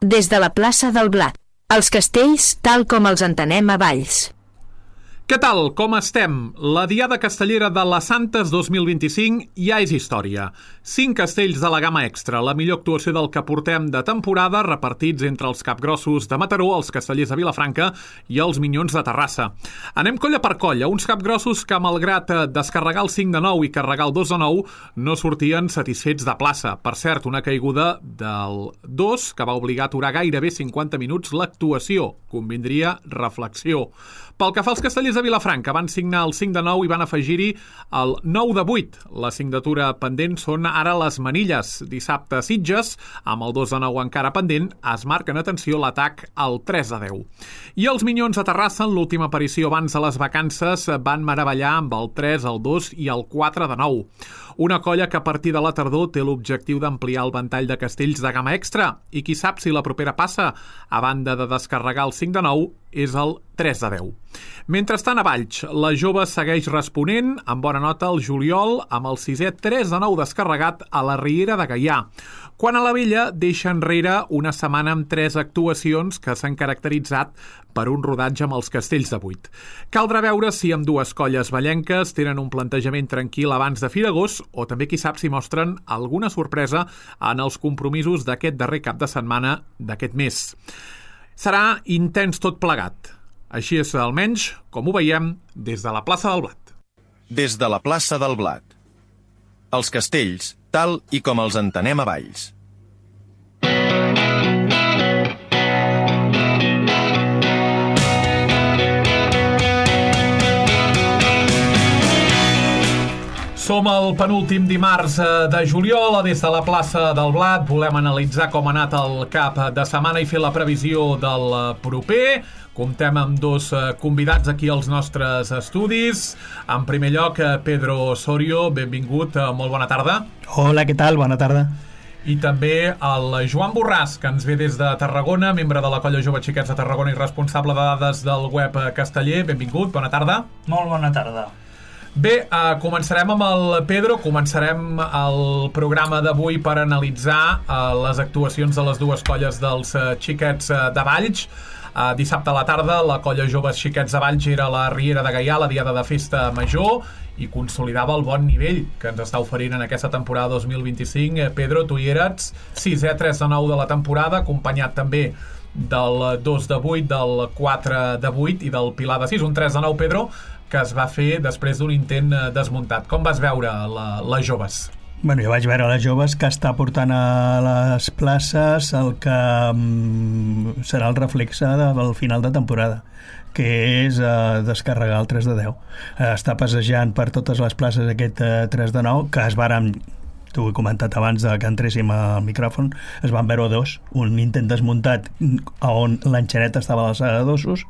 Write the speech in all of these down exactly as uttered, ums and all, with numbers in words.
Des de la plaça del Blat. Els castells tal com els entenem a Valls. Què tal? Com estem? La Diada Castellera de les Santes dos mil vint-i-cinc ja és història. Cinc castells de la gamma extra, la millor actuació del que portem de temporada, repartits entre els capgrossos de Mataró, els castellers de Vilafranca i els minyons de Terrassa. Anem colla per colla, uns capgrossos que, malgrat descarregar el cinc de nou i carregar el dos de nou, no sortien satisfets de plaça. Per cert, una caiguda del dos que va obligar a aturar gairebé cinquanta minuts l'actuació. Convindria reflexió. Pel que fa als castellers de Vilafranca, van signar el cinc de nou i van afegir-hi el nou de vuit. La signatura pendent són ara les manilles. Dissabte a Sitges, amb el dos de nou encara pendent, es marquen, atenció, l'atac al tres de deu. I els minyons de Terrassa, en l'última aparició abans de les vacances, van meravellar amb el tres, el dos i el quatre de nou. Una colla que a partir de la tardor té l'objectiu d'ampliar el ventall de castells de gamma extra i qui sap si la propera passa, a banda de descarregar el cinc de nou, és el tres de deu. Mentrestant, a Valls, la jove segueix responent amb bona nota el juliol amb el sisè tres de nou descarregat a la Riera de Gaià. Quan a la Vella deixa enrere una setmana amb tres actuacions que s'han caracteritzat per un rodatge amb els castells de vuit. Caldrà veure si amb dues colles vallenques tenen un plantejament tranquil abans de Firagós o també qui sap si mostren alguna sorpresa en els compromisos d'aquest darrer cap de setmana d'aquest mes. Serà intens tot plegat. Així és, almenys, com ho veiem, des de la plaça del Blat. Des de la plaça del Blat. Els castells, tal i com els entenem a Valls. Som el penúltim dimarts de juliol, des de la plaça del Blat. Volem analitzar com ha anat el cap de setmana i fer la previsió del proper. Comptem amb dos convidats aquí als nostres estudis. En primer lloc, Pedro Osorio, benvingut, molt bona tarda. Hola, què tal? Bona tarda. I també el Joan Borràs, que ens ve des de Tarragona, membre de la colla Jove Xiquets de Tarragona i responsable de dades del web Casteller. Benvingut, bona tarda. Molt bona tarda. Bé, uh, començarem amb el Pedro, començarem el programa d'avui per analitzar uh, les actuacions de les dues colles dels uh, xiquets uh, de Valls. Uh, dissabte a la tarda, la colla Joves Xiquets de Valls era a la Riera de Gaià, la diada de festa major, i consolidava el bon nivell que ens està oferint en aquesta temporada dos mil vint-i-cinc. Eh, Pedro, tu hi eres, sisè tres de nou de la temporada, acompanyat també del dos de vuit, del quatre de vuit i del Pilar de sis, un tres de nou, Pedro, que es va fer després d'un intent desmuntat. Com vas veure la, les joves? Bueno, jo vaig veure les joves que està portant a les places el que um, serà el reflexe del final de temporada, que és uh, descarregar el tres de deu. Uh, està passejant per totes les places aquest uh, tres de nou, que es varen, t'ho he comentat abans de que entréssim al micròfon, es van veure dos, un intent desmuntat on l'enxaneta estava a l'alçada d'ossos,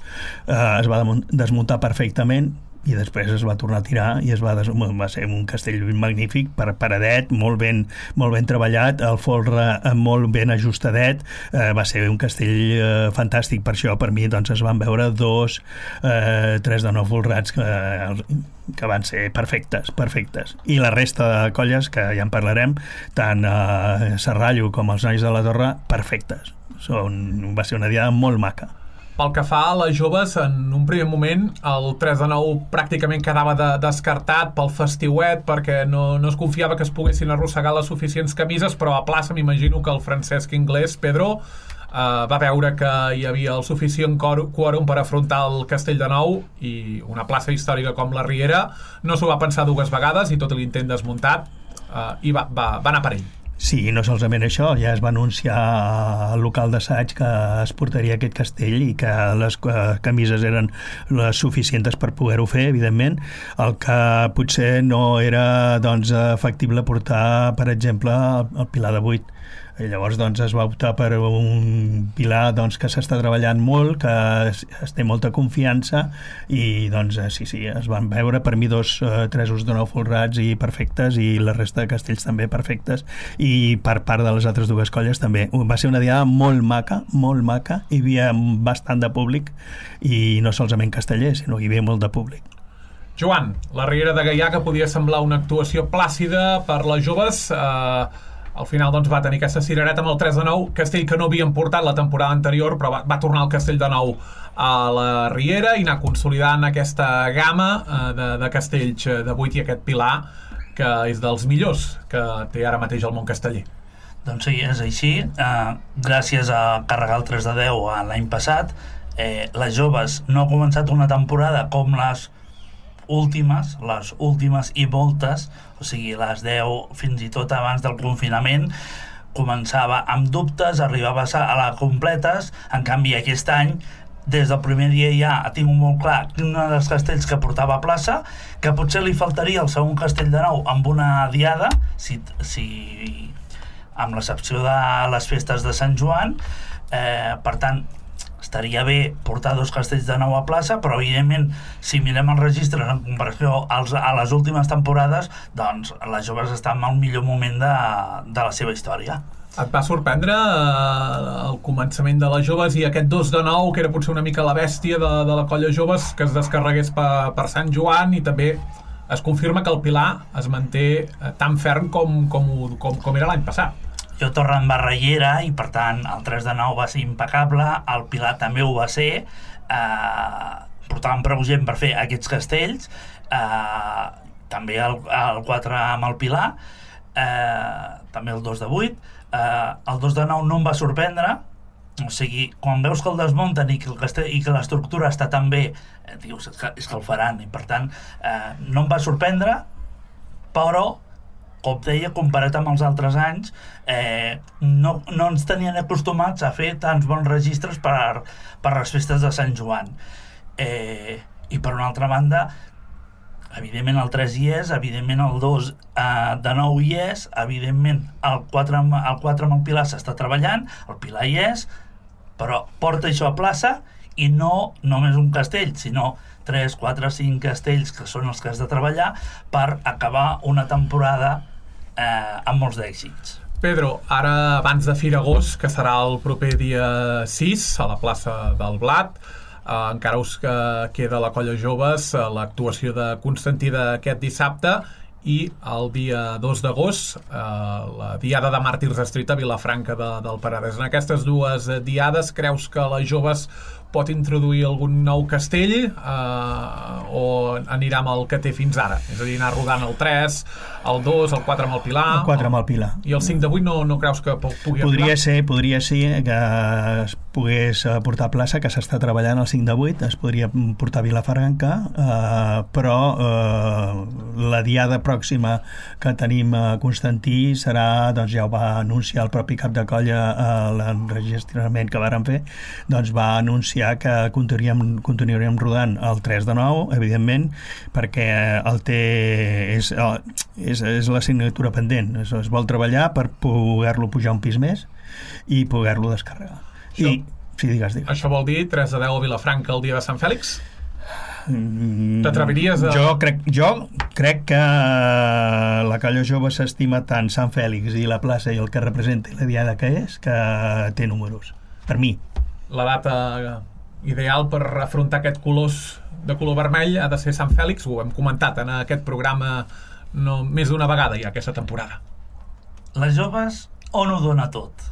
uh, es va desmuntar perfectament i després es va tornar a tirar i es va, des... va ser un castell magnífic, per paradet, molt ben, molt ben treballat, el folre molt ben ajustadet, eh, va ser un castell eh, fantàstic. Per això, per mi, doncs, es van veure dos, eh, tres de nou folrats que, que van ser perfectes, perfectes. I la resta de colles, que ja en parlarem, tant eh, Serrallo com els nois de la Torre, perfectes. Són, va ser una diada molt maca. Pel que fa a les joves, en un primer moment el tres de nou pràcticament quedava de, descartat pel festiuet perquè no, no es confiava que es poguessin arrossegar les suficients camises, però a plaça m'imagino que el Francesc Inglés, Pedro, eh, va veure que hi havia el suficient quòrum per afrontar el Castell de Nou i una plaça històrica com la Riera no s'ho va pensar dues vegades i tot l'intent desmuntat eh, i va, va, va anar per ell. Sí, no solament això, ja es va anunciar al local d'assaig que es portaria aquest castell i que les camises eren les suficients per poder-ho fer, evidentment. El que potser no era doncs, factible portar, per exemple, el Pilar de vuit. I llavors doncs, es va optar per un pilar doncs, que s'està treballant molt, que es, es té molta confiança i doncs sí, sí, es van veure per mi dos eh, tresos de nou folrats i perfectes i la resta de castells també perfectes i per part de les altres dues colles també. Va ser una diada molt maca, molt maca, hi havia bastant de públic i no solament castellers, sinó que hi havia molt de públic. Joan, la Riera de Gaià, que podia semblar una actuació plàcida per les joves, eh, Al final doncs, va tenir aquesta cirereta amb el tres de nou, castell que no havien portat la temporada anterior, però va, va tornar el castell de nou a la Riera i anar consolidant aquesta gamma eh, de, de castells de vuit i aquest pilar que és dels millors que té ara mateix el món casteller. Doncs sí, és així. Eh, gràcies a carregar el tres de deu l'any passat, eh, les joves no ha començat una temporada com les últimes, les últimes i moltes, o sigui, les deu fins i tot abans del confinament, començava amb dubtes, arribava a la completes. En canvi aquest any, des del primer dia ja tinc molt clar un dels castells que portava a plaça, que potser li faltaria el segon castell de nou amb una diada, si, si amb l'excepció de les festes de Sant Joan, eh, per tant estaria bé portar dos castells de nou a plaça, però evidentment si mirem els registres en comparació als, a les últimes temporades, doncs les joves estan al millor moment de, de la seva història. Et va sorprendre eh, el començament de les joves i aquest dos de nou, que era potser una mica la bèstia de, de la colla joves, que es descarregués per, per Sant Joan, i també es confirma que el Pilar es manté eh, tan ferm com, com, com, com era l'any passat. Jo torno en barrellera i per tant el tres de nou va ser impecable, el Pilar també ho va ser, eh, portàvem prou gent per fer aquests castells, eh, també el, el quatre amb el Pilar, eh, també el dos de vuit, eh, el dos de nou no em va sorprendre, o sigui, quan veus que el desmunten i que, el castell, i que l'estructura està tan bé, eh, dius, és que, és que el faran, i per tant eh, no em va sorprendre, però com deia, comparat amb els altres anys, eh, no, no ens tenien acostumats a fer tants bons registres per, per les festes de Sant Joan. Eh, I per una altra banda, evidentment el tres hi és, evidentment el dos eh, de nou hi és, evidentment el quatre, el quatre amb el Pilar s'està treballant, el Pilar hi és, però porta això a plaça i no només un castell, sinó tres, quatre, cinc castells que són els que has de treballar per acabar una temporada eh, amb molts d'èxits. Pedro, ara abans de Fira Agost, que serà el proper dia sis a la plaça del Blat, eh, encara us eh, queda la colla joves eh, l'actuació de Constantí d'aquest dissabte, i el dia dos d'agost eh, la diada de Màrtirs Street a Vilafranca de, del Penedès. En aquestes dues eh, diades creus que les joves pot introduir algun nou castell eh, o anirà amb el que té fins ara? És a dir, anar rodant el tres, el dos, el quatre amb el Pilar... El quatre amb el Pilar. I el cinc de vuit no, no creus que pugui podria arribar? Ser, podria ser que es pogués portar a plaça, que s'està treballant el cinc de vuit, es podria portar a Vilafranca, eh, però eh, la diada pròxima que tenim a Constantí serà, doncs ja ho va anunciar el propi cap de colla a l'enregistrament que varen fer, doncs va anunciar que continuaríem, continuaríem rodant el tres de nou, evidentment, perquè el té és, és, és la signatura pendent, es, es vol treballar per poder-lo pujar un pis més i poder-lo descarregar. Això, I, sí, digues, digues. Això vol dir tres de deu a Vilafranca el dia de Sant Fèlix? T'atreviries a... Jo crec, jo crec que la colla jove s'estima tant Sant Fèlix i la plaça i el que representa i la diada que és, que té números, per mi. La data ideal per afrontar aquest colors de color vermell ha de ser Sant Fèlix, ho hem comentat en aquest programa no, més d'una vegada ja aquesta temporada. Les joves on ho dona tot?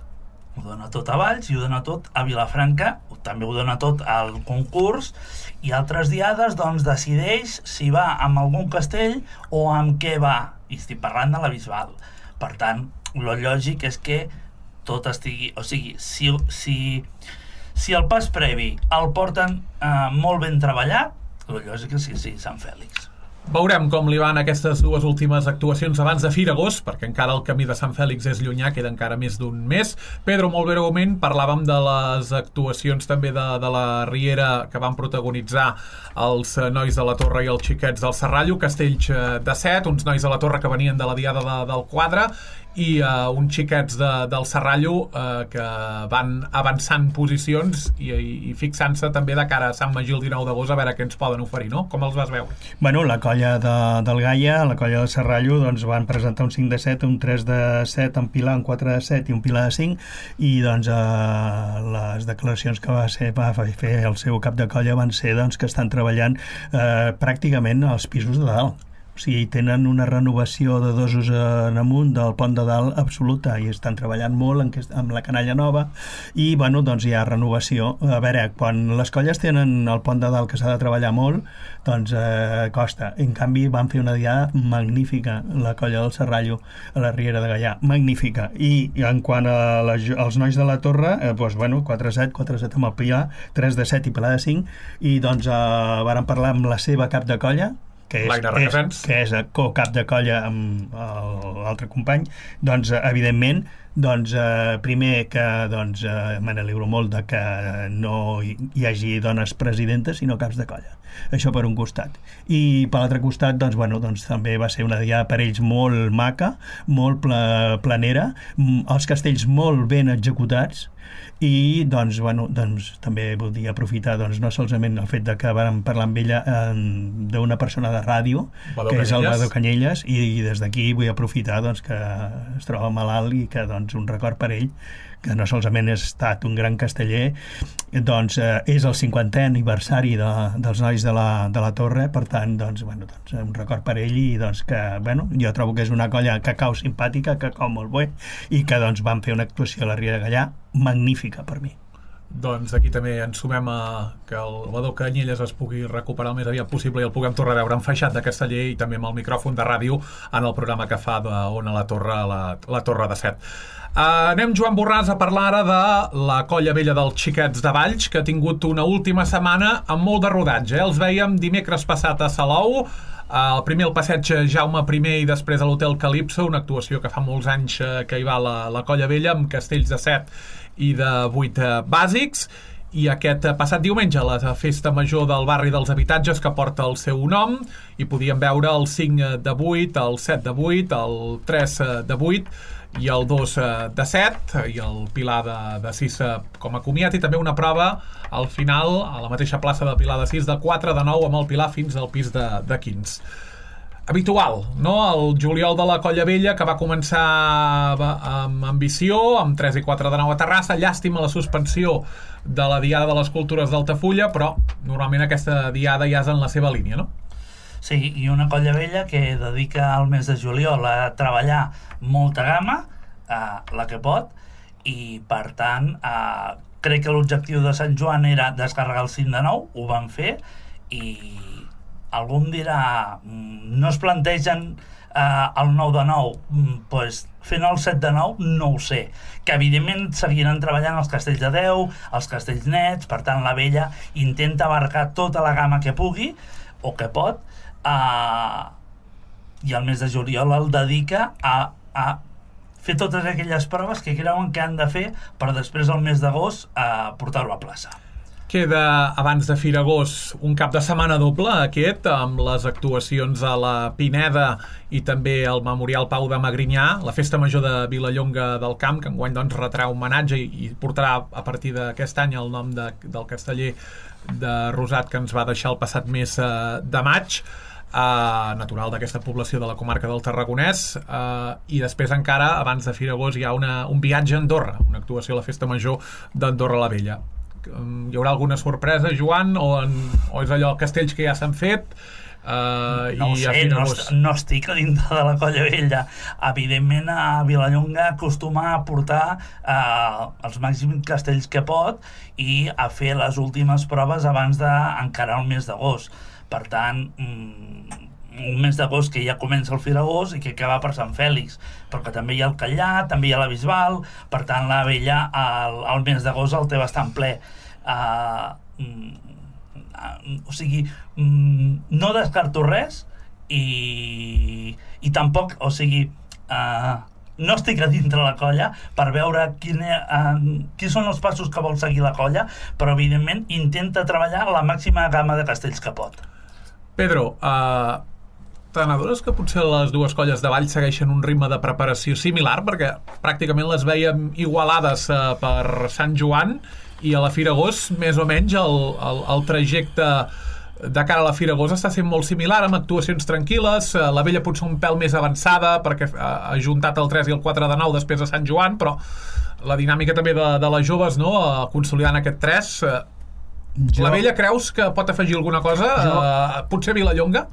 Ho dona tot a Valls i ho dona tot a Vilafranca, també ho dona tot al concurs, i altres diades doncs decideix si va amb algun castell o amb què va, i estic parlant de la Bisbal. Per tant, lo lògic és que tot estigui, o sigui, si, si, si el pas previ el porten eh, molt ben treballat, lo lògic és que sí, Sant Fèlix. Veurem com li van aquestes dues últimes actuacions abans de Fira Agost, perquè encara el camí de Sant Fèlix és llunyà, queda encara més d'un mes. Pedro, molt breument, parlàvem de les actuacions també de, de la Riera que van protagonitzar els nois de la Torre i els xiquets del Serrallo, castells de set, uns nois de la Torre que venien de la diada de, del quadre, i uh, uns xiquets de, del Serrallo uh, que van avançant posicions i, i fixant-se també de cara a Sant Magí el dinou d'agost a veure què ens poden oferir, no? Com els vas veure? Bueno, la colla de, del Gaia, la colla del Serrallo, doncs van presentar un cinc de set, un tres de set, un Pilar, un quatre de set i un Pilar de cinc, i doncs eh, les declaracions que va, ser, va fer el seu cap de colla van ser doncs, que estan treballant eh, pràcticament als pisos de dalt. O sigui, tenen una renovació de dosos en amunt del pont de dalt absoluta i estan treballant molt en, amb la canalla nova i, bueno, doncs hi ha renovació. A veure, quan les colles tenen el pont de dalt que s'ha de treballar molt, doncs eh, costa. En canvi, van fer una diada magnífica, la colla del Serrallo, a la Riera de Gaià, magnífica. I en quant a les, als nois de la Torre, eh, doncs, bueno, quatre set, quatre set amb el Pilar, tres de set i Pilar de cinc, i doncs eh, varen parlar amb la seva cap de colla, que és, és, que és co-cap de colla amb l'altre company, doncs, evidentment, doncs, eh, primer que doncs, eh, me n'alegro molt de que no hi, hi hagi dones presidentes, sinó caps de colla. Això per un costat. I per l'altre costat, doncs, bueno, doncs, també va ser una diada per ells molt maca, molt pla, planera, els castells molt ben executats, i doncs, bueno, doncs, també voldria aprofitar doncs, no solament el fet de que vam parlar amb ella eh, d'una persona de ràdio, Badó que és el Badó Canyelles, i, i des d'aquí vull aprofitar doncs, que es troba malalt i que doncs, un record per ell, que no solament ha estat un gran casteller, doncs eh, és el cinquantè aniversari de, dels nois de la, de la Torre, per tant, doncs, bueno, doncs, un record per ell, i doncs, que, bueno, jo trobo que és una colla que cau simpàtica, que cau molt bé, i que doncs, van fer una actuació a la Riera de Gaià magnífica per mi. Doncs aquí també ens sumem a que el Badó Canyelles es pugui recuperar el més aviat possible i el puguem tornar a veure enfaixat de Casteller i també amb el micròfon de ràdio en el programa que fa d'Ona la Torre a la, la Torre de Set. Uh, anem, Joan Borràs, a parlar ara de la Colla Vella dels Xiquets de Valls, que ha tingut una última setmana amb molt de rodatge. Eh? Els veiem dimecres passat a Salou, el primer al passeig Jaume I i després a l'Hotel Calipso, una actuació que fa molts anys que hi va la, la Colla Vella, amb castells de set i de vuit bàsics, i aquest passat diumenge la festa major del barri dels habitatges que porta el seu nom, i podíem veure el cinc de vuit, el set de vuit, el tres de vuit i el dos de set, i el Pilar de, de sis com a comiat, i també una prova al final a la mateixa plaça de Pilar de sis de quatre de nou amb el Pilar fins al pis de, de quinze. Habitual, no? El juliol de la Colla Vella, que va començar amb ambició, amb tres i quatre de nou a Terrassa. Llàstima la suspensió de la Diada de les Cultures d'Altafulla, però normalment aquesta diada ja és en la seva línia, no? Sí, i una Colla Vella que dedica el mes de juliol a treballar molta gamma, eh, la que pot, i per tant eh, crec que l'objectiu de Sant Joan era descarregar el cinc de nou, ho van fer, i algú em dirà, no es plantegen eh, el nou de nou, pues, fent el set de nou, no ho sé, que evidentment seguiran treballant els castells de deu, els castells nets, per tant la Vella intenta abarcar tota la gamma que pugui o que pot, eh, i el mes de juliol el dedica a, a fer totes aquelles proves que creuen que han de fer per després el mes d'agost eh, portar-ho a plaça. Queda, abans de Firagós, un cap de setmana doble, aquest, amb les actuacions a la Pineda i també al Memorial Pau de Magrinyà, la festa major de Vilallonga del Camp, que enguany doncs, retrà homenatge i, i portarà a partir d'aquest any el nom de, del casteller de Rosat que ens va deixar el passat mes eh, de maig, eh, natural d'aquesta població de la comarca del Tarragonès, eh, i després encara, abans de Firagós, hi ha una, un viatge a Andorra, una actuació a la festa major d'Andorra la Vella. Hi haurà alguna sorpresa, Joan, o, en, o és allò castells que ja s'han fet? Uh, no ho i sé, no, est no estic a dintre de la Colla Vella. Evidentment a Vilallonga acostuma a portar uh, els màxims castells que pot i a fer les últimes proves abans d'encarar el mes d'agost. Per tant, mm, un mes d'agost que ja comença el Firagós i que acaba per Sant Fèlix, però que també hi ha el Catllà, també hi ha la Bisbal, per tant la Vella el, el mes d'agost el té bastant ple. Uh, uh, o sigui, um, no descarto res i, i tampoc, o sigui, uh, no estic a dintre la colla per veure quin, uh, quins són els passos que vol seguir la colla, però evidentment intenta treballar la màxima gamma de castells que pot. Pedro, uh, t'adones que potser les dues colles de Valls segueixen un ritme de preparació similar, perquè pràcticament les veiem igualades uh, per Sant Joan, i a la Firagós, més o menys, el, el, el trajecte de cara a la Firagós està sent molt similar, amb actuacions tranquil·les, uh, la Vella potser un pèl més avançada, perquè uh, ha juntat el tres i el quatre de nou després de Sant Joan, però la dinàmica també de, de les joves, no?, uh, consolidant aquest tres... Uh, Jo... La Vella creus que pot afegir alguna cosa? Jo... Uh, potser Vilallonga?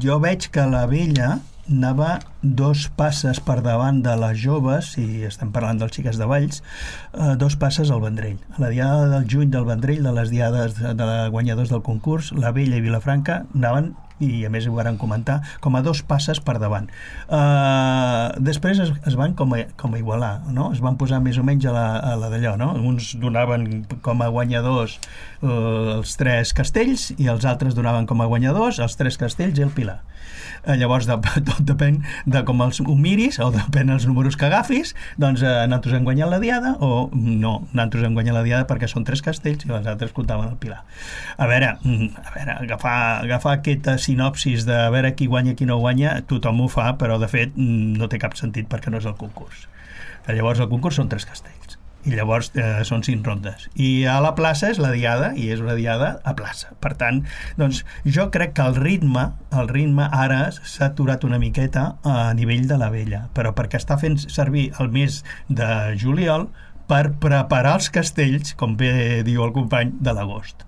Jo veig que la Vella anava dos passes per davant de les joves, si estem parlant dels xiques de Valls, eh, dos passes al Vendrell. A la diada del juny del Vendrell, de les diades de, de guanyadors del concurs, la Vella i Vilafranca anaven, i a més ho van comentar, com a dos passes per davant. Uh, després es, es van com a, com a igualar, no? Es van posar més o menys a la, a la d'allò, no? Uns donaven com a guanyadors uh, els tres castells i els altres donaven com a guanyadors els tres castells i el Pilar. Uh, llavors, de, tot depèn de com els ho miris o depèn dels números que agafis, doncs uh, nosaltres hem guanyat la diada o no, nosaltres hem guanyat la diada perquè són tres castells i els altres comptaven el Pilar. A veure, a veure agafar, agafar aquesta sinopsis de a veure qui guanya i qui no guanya, tothom ho fa, però de fet no té cap sentit perquè no és el concurs. Llavors el concurs són tres castells i llavors eh, són cinc rondes i a la plaça és la diada i és una diada a plaça. Per tant, doncs jo crec que el ritme el ritme ara s'ha aturat una miqueta a nivell de la Vella, però perquè està fent servir el mes de juliol per preparar els castells, com bé diu el company, de l'agost.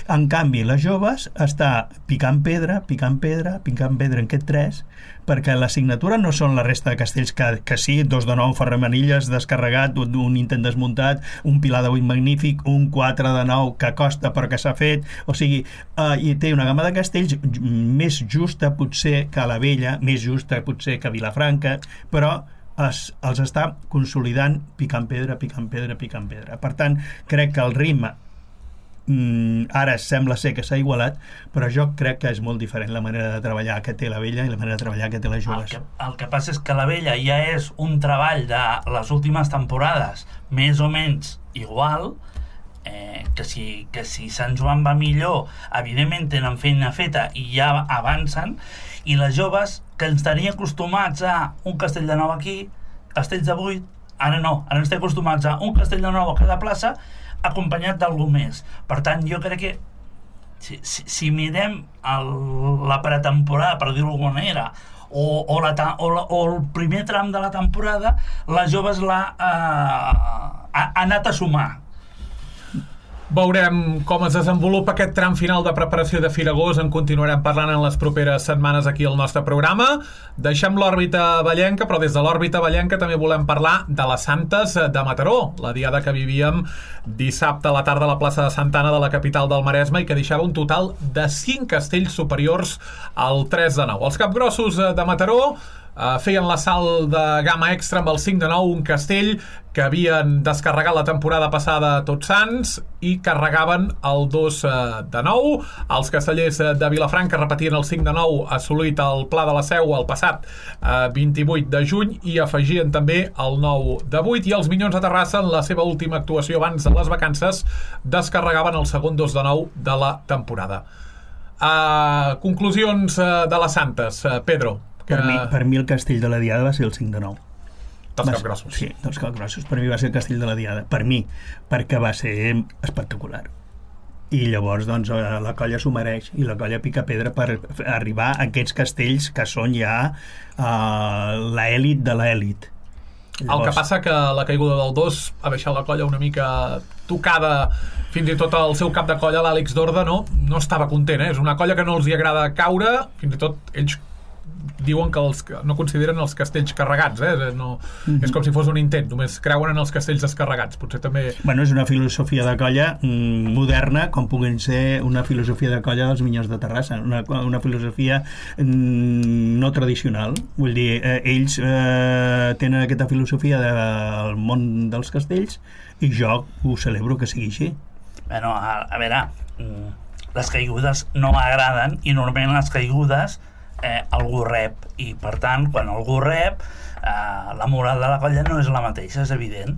En canvi, les joves està picant pedra, picant pedra, picant pedra en aquest tres, perquè l'assignatura no són la resta de castells que, que sí, dos de nou ferramanilles descarregat, un, un intent desmuntat, un pilar de vuit magnífic, un quatre de nou que costa però que s'ha fet, o sigui, eh, i té una gamma de castells més justa potser que la Vella, més justa potser que Vilafranca, però Es, els està consolidant picant pedra, picant pedra, picant pedra. Per tant, crec que el ritme mm, ara sembla ser que s'ha igualat, però jo crec que és molt diferent la manera de treballar que té la Vella i la manera de treballar que té les joves. El que, el que passa és que la Vella ja és un treball de les últimes temporades més o menys igual, eh, que si, que si Sant Joan va millor, evidentment tenen feina feta i ja avancen, i les joves que ens tenia acostumats a un castell de nou aquí, castells de vuit, ara no, ara ens té acostumats a un castell de nou a cada plaça acompanyat d'algú més. Per tant, jo crec que si, si, si mirem el, la pretemporada, per dir-ho d'alguna manera, o, o, la, o, la, o el primer tram de la temporada, les joves l'ha eh, ha anat a sumar. Veurem com es desenvolupa aquest tram final de preparació de Firagós. En continuarem parlant en les properes setmanes aquí al nostre programa. Deixem l'òrbita vallenca, però des de l'òrbita vallenca també volem parlar de les Santes de Mataró, la diada que vivíem dissabte a la tarda a la plaça de Santa Anna de la capital del Maresme i que deixava un total de cinc castells superiors al tres de nou. Els capgrossos de Mataró Uh, feien la salt de gamma extra amb el cinc de nou, un castell que havien descarregat la temporada passada Tots Sants i carregaven el dos de nou. Els castellers de Vilafranca repetien el cinc de nou assolit al Pla de la Seu el passat uh, vint-i-vuit de juny i afegien també el nou de vuit, i els Minyons de Terrassa en la seva última actuació abans de les vacances descarregaven el segon dos de nou de la temporada. Uh, conclusions uh, de les Santes, uh, Pedro. Que... Per, mi, per mi el castell de la diada va ser el cinc de nou. Dels capgrossos. Sí, dels capgrossos. Per mi va ser el castell de la diada. Per mi, perquè va ser espectacular. I llavors, doncs, la colla s'ho mereix. I la colla pica pedra per arribar a aquests castells que són ja uh, l'èlit de l'èlit. Llavors... El que passa que la caiguda del dos ha deixat la colla una mica tocada. Fins i tot el seu cap de colla, l'Àlex Dorda, no, no estava content. Eh? És una colla que no els hi agrada caure. Fins i tot ells diuen que els, no consideren els castells carregats, eh? no, mm-hmm. és com si fos un intent, només creuen en els castells descarregats. Potser també... Bueno, és una filosofia de colla mm, moderna, com puguin ser una filosofia de colla dels Minyons de Terrassa, una, una filosofia mm, no tradicional. Vull dir, eh, ells eh, tenen aquesta filosofia del món dels castells i jo ho celebro que sigui així. Bueno, a, a veure, les caigudes no m'agraden i normalment les caigudes Eh, algú rep, i per tant quan algú rep eh, la moral de la colla no és la mateixa, és evident.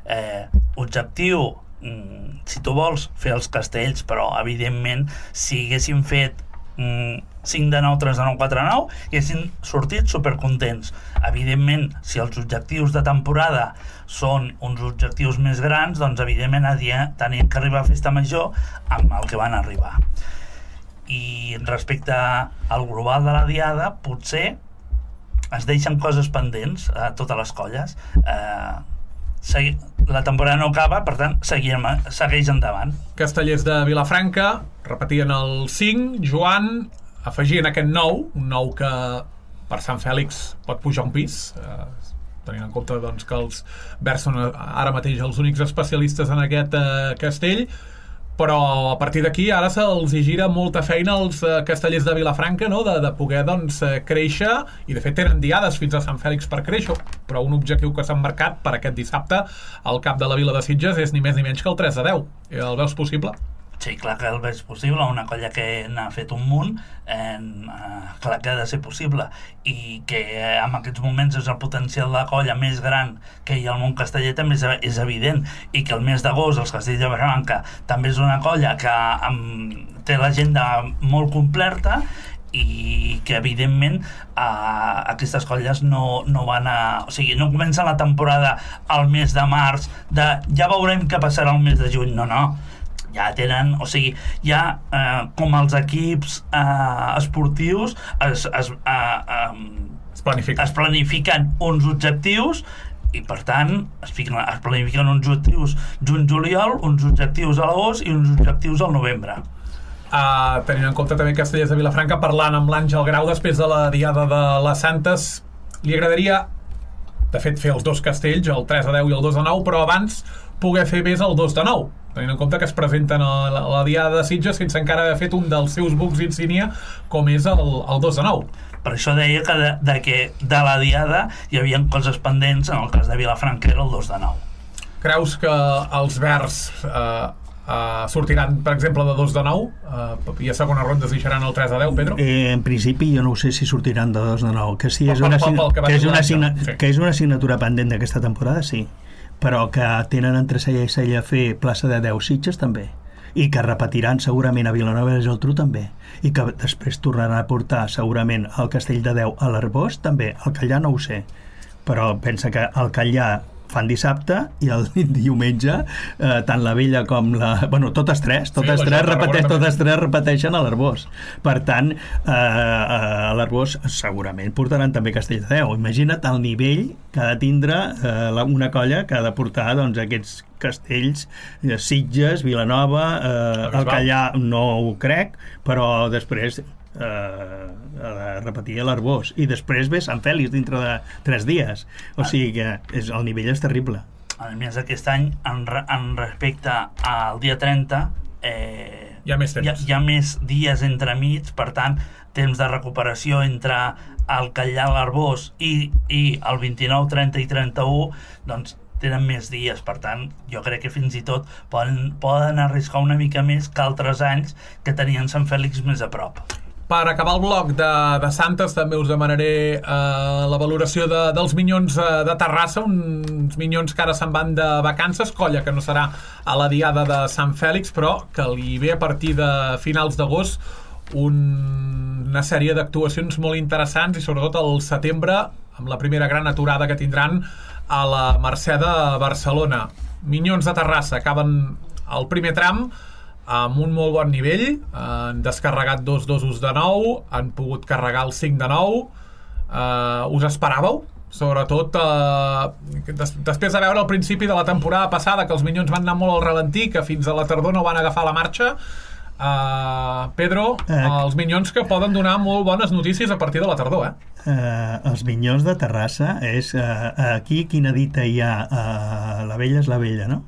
eh, objectiu mm, si tu vols fer els castells, però evidentment si haguéssim fet mm, cinc de nou, tres de nou, quatre de nou i haguéssim sortit supercontents. Evidentment, si els objectius de temporada són uns objectius més grans, doncs evidentment tenien que arribar a festa major amb el que van arribar. I respecte al global de la diada, potser es deixen coses pendents a totes les colles. Eh, segui... la temporada no acaba, per tant, seguim, segueix endavant. Castellers de Vilafranca repetien el cinc, Joan afegien aquest nou, un nou que per Sant Fèlix pot pujar un pis, eh, tenint en compte doncs, que els verds són ara mateix els únics especialistes en aquest eh, castell, però a partir d'aquí ara se'ls gira molta feina als eh, castellers de Vilafranca, no? de, de poder doncs, eh, créixer, i de fet tenen diades fins a Sant Fèlix per créixer, però un objectiu que s'han marcat per aquest dissabte al cap de la Vila de Sitges és ni més ni menys que el tres a deu. El veus possible? Sí, clar que el veig possible, una colla que n'ha fet un munt, eh, clar que ha de ser possible, i que eh, en aquests moments és el potencial de la colla més gran que hi ha al món casteller també és, és evident, i que el mes d'agost els Castells de Vilafranca també és una colla que um, té l'agenda molt completa, i que evidentment eh, aquestes colles no, no van a... O sigui, no comença la temporada al mes de març de ja veurem què passarà el mes de juny, no, no, ja tenen, o sigui, ja eh, com els equips eh, esportius es, es, eh, eh, es, planifiquen. es planifiquen uns objectius i per tant es, fiquen, es planifiquen uns objectius juny-juliol, uns objectius a l'agost i uns objectius al novembre. Uh, tenint en compte també Castellers de Vilafranca, parlant amb l'Àngel Grau després de la Diada de les Santes, li agradaria de fet fer els dos castells, el tres a deu i el dos a nou, però abans poder fer més el dos de nou, tenint en compte que es presenten a la, a la Diada de Sitges sense encara haver fet un dels seus bucs insígnia com és el, el dos de nou. Per això deia que de, de que de la Diada hi havia coses pendents, en el cas de Vilafranca era el dos de nou. Creus que els verds eh, Uh, sortiran, per exemple, de dos de nou uh, i a segona ronda es deixaran el tres a deu, Pedro? Eh, en principi jo no ho sé si sortiran de dos de nou, que sí, és una, pel, pel, pel que que és una, assigna, sí. que és una assignatura pendent d'aquesta temporada, sí, però que tenen entre cella i cella fer plaça de deu Sitges també, i que repetiran segurament a Vilanova i la Geltrú també, i que després tornaran a portar segurament el Castell de deu a l'Arbós també, el Callà no ho sé, però pensa que el Callà fan dissabte i el diumenge eh, tant la Vella com la... Bueno, totes tres, totes, sí, tres, repeteix, totes tres repeteixen a l'Arbós. Per tant, eh, a l'Arbós segurament portaran també Castell de deu. Imagina't el nivell que ha de tindre eh, una colla que ha de portar doncs, aquests castells, eh, Sitges, Vilanova, eh, el Callà no ho crec, però després... Uh, a repetir a l'Arbós i després ve Sant Fèlix dintre de tres dies, o sigui que és, el nivell és terrible. A més, aquest any en, re, en respecte al dia trenta eh, hi ha més temps, hi ha, hi ha més dies entremig, per tant temps de recuperació entre el Callà, l'Arbós i, i el vint-i-nou, trenta i trenta-u, doncs tenen més dies, per tant jo crec que fins i tot poden, poden arriscar una mica més que altres anys que tenien Sant Fèlix més a prop. Per acabar el bloc de, de Santes també us demanaré eh, la valoració de, dels Minyons eh, de Terrassa, uns Minyons que ara se'n van de vacances, colla que no serà a la Diada de Sant Fèlix, però que li ve a partir de finals d'agost un, una sèrie d'actuacions molt interessants i sobretot al setembre amb la primera gran aturada que tindran a la Mercè de Barcelona. Minyons de Terrassa acaben el primer tram amb un molt bon nivell, han descarregat dos dosos de nou, han pogut carregar el cinc de nou. Uh, us esperàveu? Sobretot uh, des, després de veure al principi de la temporada passada que els Minyons van anar molt al ralentí, que fins a la tardor no van agafar la marxa. Uh, Pedro, eh, els Minyons que poden donar molt bones notícies a partir de la tardor, eh? Uh, els Minyons de Terrassa és uh, aquí quina dita hi ha, uh, la vella és la vella, no?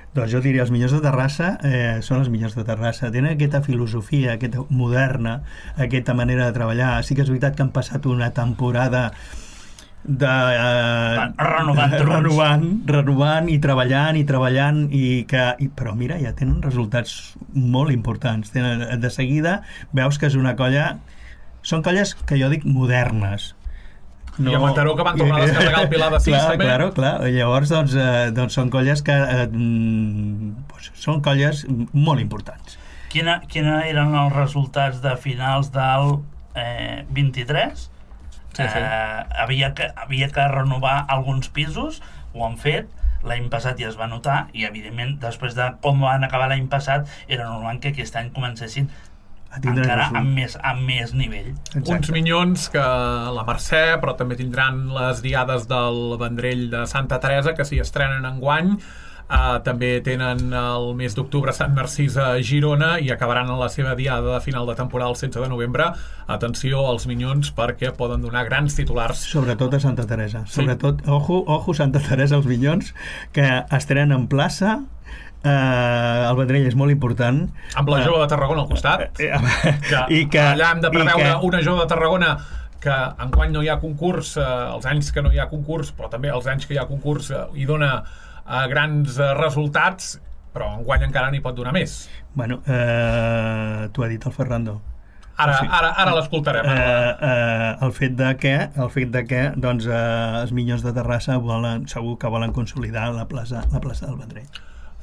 Doncs jo diria, els Minyons de Terrassa eh, són els Minyons de Terrassa. Tenen aquesta filosofia, aquesta moderna, aquesta manera de treballar. Sí que és veritat que han passat una temporada de... Eh, renovant, renovant, renovant i treballant i treballant, i que, i, però mira, ja tenen resultats molt importants. Tenen, de seguida veus que és una colla... Són colles que jo dic modernes. No. I a Mataró que van tornar a descarregar el Pilar de sis, clar, també. Claro, clar. Llavors, doncs, eh, doncs són colles que eh, doncs, són colles molt importants. Quina, quina eren els resultats de finals del eh, vint-i-tres? Sí, sí. Eh, havia, que, havia que renovar alguns pisos, ho han fet, l'any passat ja es va notar, i evidentment després de com van acabar l'any passat era normal que aquest any comencessin encara amb més, amb més nivell. Exacte. Uns Minyons que la Mercè, però també tindran les diades del Vendrell de Santa Teresa, que s'hi estrenen enguany. Uh, també tenen el mes d'octubre Sant Narcís a Girona i acabaran en la seva diada de final de temporada el setze de novembre. Atenció als Minyons perquè poden donar grans titulars. Sobretot a Santa Teresa. Sí. Sobretot, ojo, ojo Santa Teresa, els Minyons, que estrenen en plaça. Uh, el Vendrell és molt important. Amb la Jove de Tarragona al costat. Uh, uh, que i que, allà hem de preveure que... una Jove de Tarragona que enguany no hi ha concurs, uh, els anys que no hi ha concurs, però també els anys que hi ha concurs uh, hi dona a grans uh, resultats, però enguany encara n'hi pot donar més. Bueno, eh, t'ho ha dit el Ferrando. Ara, o sigui, ara, ara l'escoltarem. Eh, eh, el fet de que, el fet de que doncs, eh, els Minyons de Terrassa volen, segur que volen consolidar la plaça, la plaça del Vendrell.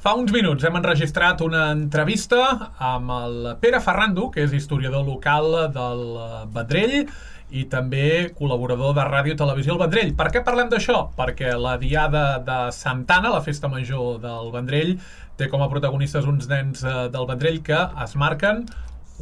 Fa uns minuts hem enregistrat una entrevista amb el Pere Ferrando, que és historiador local del Vendrell i també col·laborador de Ràdio i Televisió al Vendrell. Per què parlem d'això? Perquè la Diada de Santa Anna, la festa major del Vendrell, té com a protagonistes uns nens del Vendrell que es marquen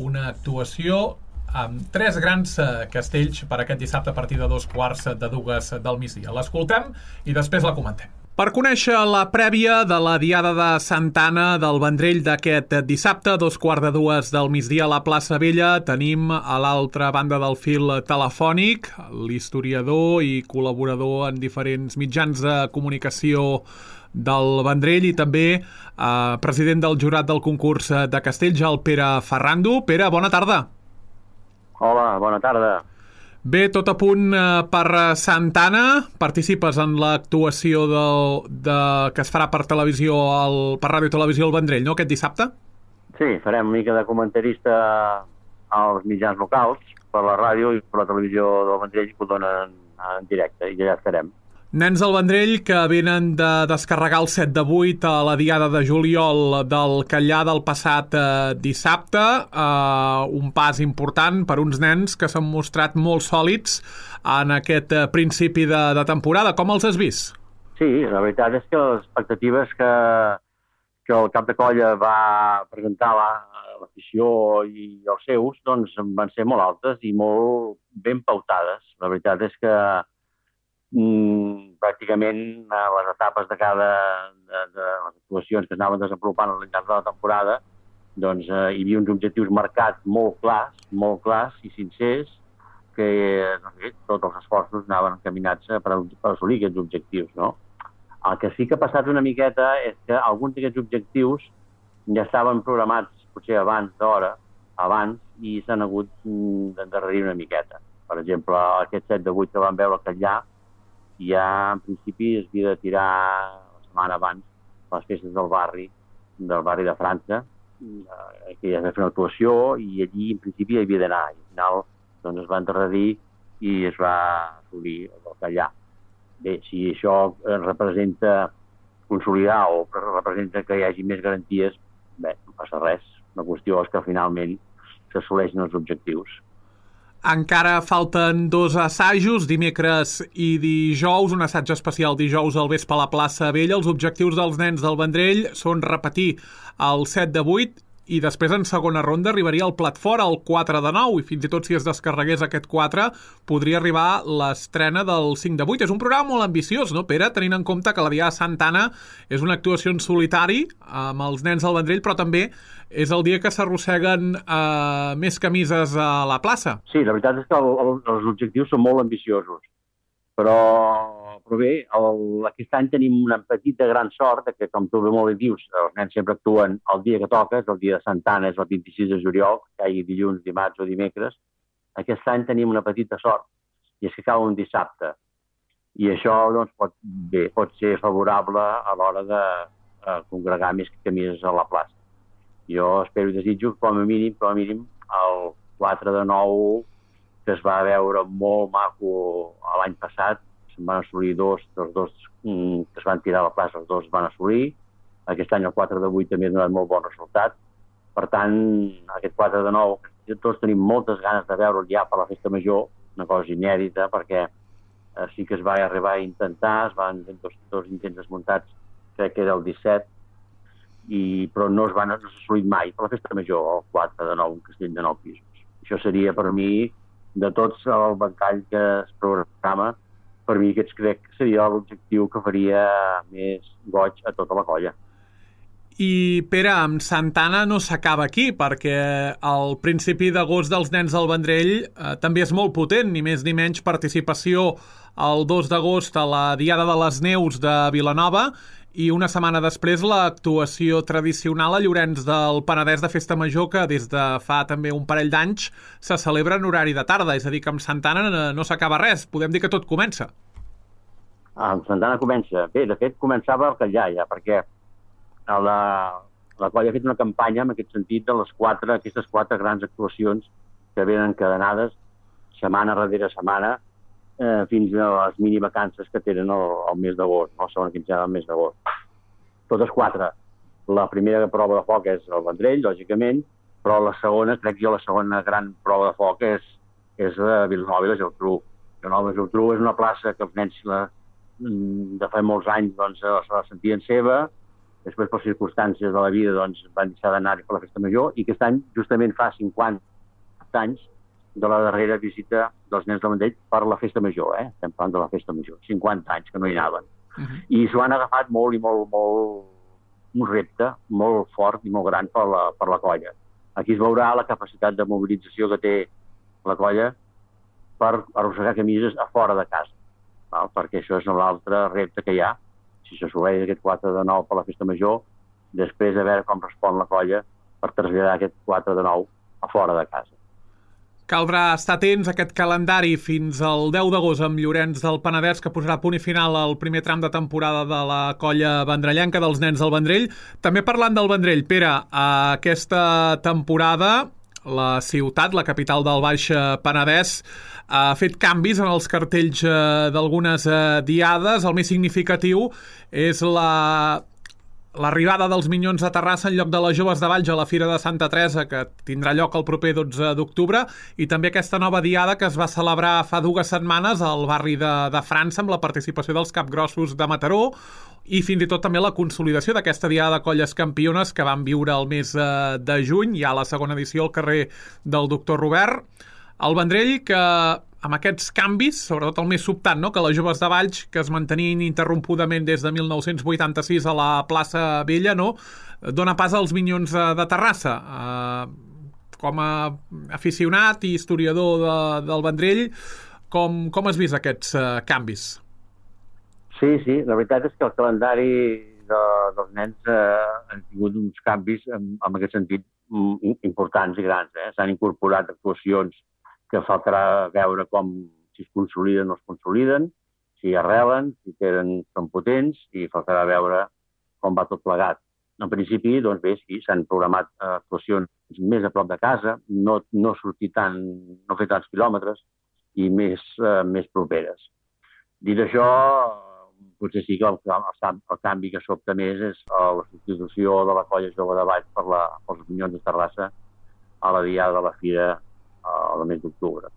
una actuació amb tres grans castells per aquest dissabte a partir de dos quarts de dues del migdia. L'escoltem i després la comentem. Per conèixer la prèvia de la Diada de Santa Anna del Vendrell d'aquest dissabte, a dos quarts de dues del migdia a la plaça Vella, tenim a l'altra banda del fil telefònic l'historiador i col·laborador en diferents mitjans de comunicació del Vendrell i també eh, president del jurat del concurs de castells, el Pere Ferrando. Pere, bona tarda. Hola, bona tarda. Bé, tot a punt eh, per Santa Anna. Participes en l'actuació de, de, que es farà per televisió, al, per Ràdio i Televisió al Vendrell, no?, aquest dissabte? Sí, farem una mica de comentarista als mitjans locals, per la ràdio i per la televisió del Vendrell, que ho donen en directe, i ja estarem. Nens del Vendrell que venen de descarregar el set de vuit a la Diada de juliol del Catllà del passat eh, dissabte. Eh, un pas important per uns nens que s'han mostrat molt sòlids en aquest eh, principi de, de temporada. Com els has vist? Sí, la veritat és que les expectatives que, que el cap de colla va presentar a l'afició i els seus doncs, van ser molt altes i molt ben pautades. La veritat és que Mm, pràcticament a les etapes de cada de, de les actuacions que s'anaven desenvolupant al llarg de la temporada doncs eh, hi havia uns objectius marcats molt clars, molt clars i sincers que doncs, bé, tots els esforços anaven encaminats per, per assolir aquests objectius, no? El que sí que ha passat una miqueta és que alguns d'aquests objectius ja estaven programats potser abans d'hora, abans, i s'han hagut d'endarrerir una miqueta. Per exemple, aquest set de vuit que vam veure al Catllà ja en principi es havia de tirar la setmana abans les festes del barri, del barri de França, que ja es va fer una actuació i allí en principi hi havia d'anar. I al final doncs, es va endarrerir i es va assolir el Catllà. Bé, si això representa consolidar o representa que hi hagi més garanties, bé, no passa res. La qüestió és que finalment s'assoleixen els objectius. Encara falten dos assajos, dimecres i dijous, un assaig especial dijous al vespre a la plaça Vella. Els objectius dels nens del Vendrell són repetir el set de vuit i després en segona ronda arribaria el plat fora, el quatre de nou, i fins i tot si es descarregués aquest quatre podria arribar l'estrena del cinc de vuit. És un programa molt ambiciós, no, Pere? Tenint en compte que la Diada de Santa Anna és una actuació en solitari amb els nens del Vendrell, però també és el dia que s'arrosseguen eh, més camises a la plaça. Sí, la veritat és que el, el, els objectius són molt ambiciosos, però, però bé, el, aquest any tenim una petita gran sort que, com tu molt bé dius, els nens sempre actuen el dia que toca, és el dia de Santa Anna, és el vint-i-sis de juliol, que hi hagi dilluns, dimarts o dimecres. Aquest any tenim una petita sort, i és que cau un dissabte. I això doncs, pot, bé, pot ser favorable a l'hora de eh, congregar més camises a la plaça. Jo espero i desitjo, com a mínim, com a mínim, el quatre de nou, que es va veure molt maco l'any passat, se'n van assolir dos, els dos mm, que es van tirar a la plaça, els dos es van assolir. Aquest any el quatre de vuit també ha donat molt bon resultat. Per tant, aquest quatre de nou, tots tenim moltes ganes de veure'l ja per la festa major, una cosa inèdita, perquè eh, sí que es va arribar a intentar, es van dos, dos intents desmuntats, crec que era el disset, i, però no es van no s'ha assolit mai per la festa major, el quatre de nou, un castell de nou pisos. Això seria per mi, de tots el ventall que es programa, per mi aquests crec que seria l'objectiu que faria més goig a tota la colla. I, Pere, amb Santana no s'acaba aquí, perquè el principi d'agost dels Nens del Vendrell eh, també és molt potent, ni més ni menys participació el dos d'agost a la Diada de les Neus de Vilanova i una setmana després l'actuació tradicional a Llorenç del Penedès de Festa Major, que des de fa també un parell d'anys se celebra en horari de tarda, és a dir, que amb Santana no, no s'acaba res, podem dir que tot comença. Ah, amb Santana comença. Bé, de fet, començava el Catllà ja, perquè La, la colla ha fet una campanya en aquest sentit de les quatre, aquestes quatre grans actuacions que venen encadenades setmana darrere setmana eh, fins a les mini vacances que tenen el, el mes d'agost, no? Segons quinzena del mes d'agost. Totes quatre. La primera prova de foc és el Vendrell, lògicament, però la segona, crec jo, la segona gran prova de foc és, és la Vilanova i la Geltrú. Vilanova i la Geltrú és una plaça que els nens la, de fa molts anys doncs, se la sentien seva. Després, per circumstàncies de la vida, doncs, van deixar d'anar per la festa major i aquest any, justament fa cinquanta anys de la darrera visita dels Nens del Vendrell per la festa major, eh? Estem parlant de la festa major. cinquanta anys que no hi anaven. Uh-huh. I s'ho han agafat molt i molt, molt, un repte molt fort i molt gran per la, per la colla. Aquí es veurà la capacitat de mobilització que té la colla per arrossegar camises a fora de casa, val? Perquè això és l'altre repte que hi ha. Si s'assoleix aquest quatre de nou per la festa major, després de veure com respon la colla per traslladar aquest quatre de nou a fora de casa. Caldrà estar atents a aquest calendari fins al deu d'agost amb Llorenç del Penedès, que posarà punt i final al primer tram de temporada de la colla vendrellenca dels Nens del Vendrell. També parlant del Vendrell, Pere, aquesta temporada la ciutat, la capital del Baix Penedès, ha fet canvis en els cartells eh, d'algunes eh, diades. El més significatiu és la l'arribada dels Minyons a Terrassa en lloc de les Joves de Valls a la Fira de Santa Teresa, que tindrà lloc el proper dotze d'octubre, i també aquesta nova diada que es va celebrar fa dues setmanes al barri de, de França amb la participació dels Capgrossos de Mataró, i fins i tot també la consolidació d'aquesta diada de colles campiones que van viure el mes eh, de juny, ja a la segona edició al carrer del Doctor Robert. El Vendrell, que amb aquests canvis, sobretot el més sobtat, no? Que les Joves de Valls, que es mantenien ininterrompudament des de mil nou-cents vuitanta-sis a la plaça Vella, no? Dona pas als Minyons de Terrassa. Uh, com a aficionat i historiador de, del Vendrell, com, com has vist aquests uh, canvis? Sí, sí, la veritat és que el calendari de, dels nens eh, han tingut uns canvis en, en aquest sentit importants i grans. Eh? S'han incorporat actuacions que faltarà veure com si es consoliden o es consoliden, si arrelen, si tenen, són potents, i faltarà veure com va tot plegat. En principi, doncs bé, sí, s'han programat actuacions més a prop de casa, no, no sortir tant, no fer tants quilòmetres i més, eh, més properes. Dit això, potser sí que el, el, el canvi que sobta més és la substitució de la colla jove de Valls per la, pels Minyons de Terrassa a la diada de la Fira al mes d'octubre.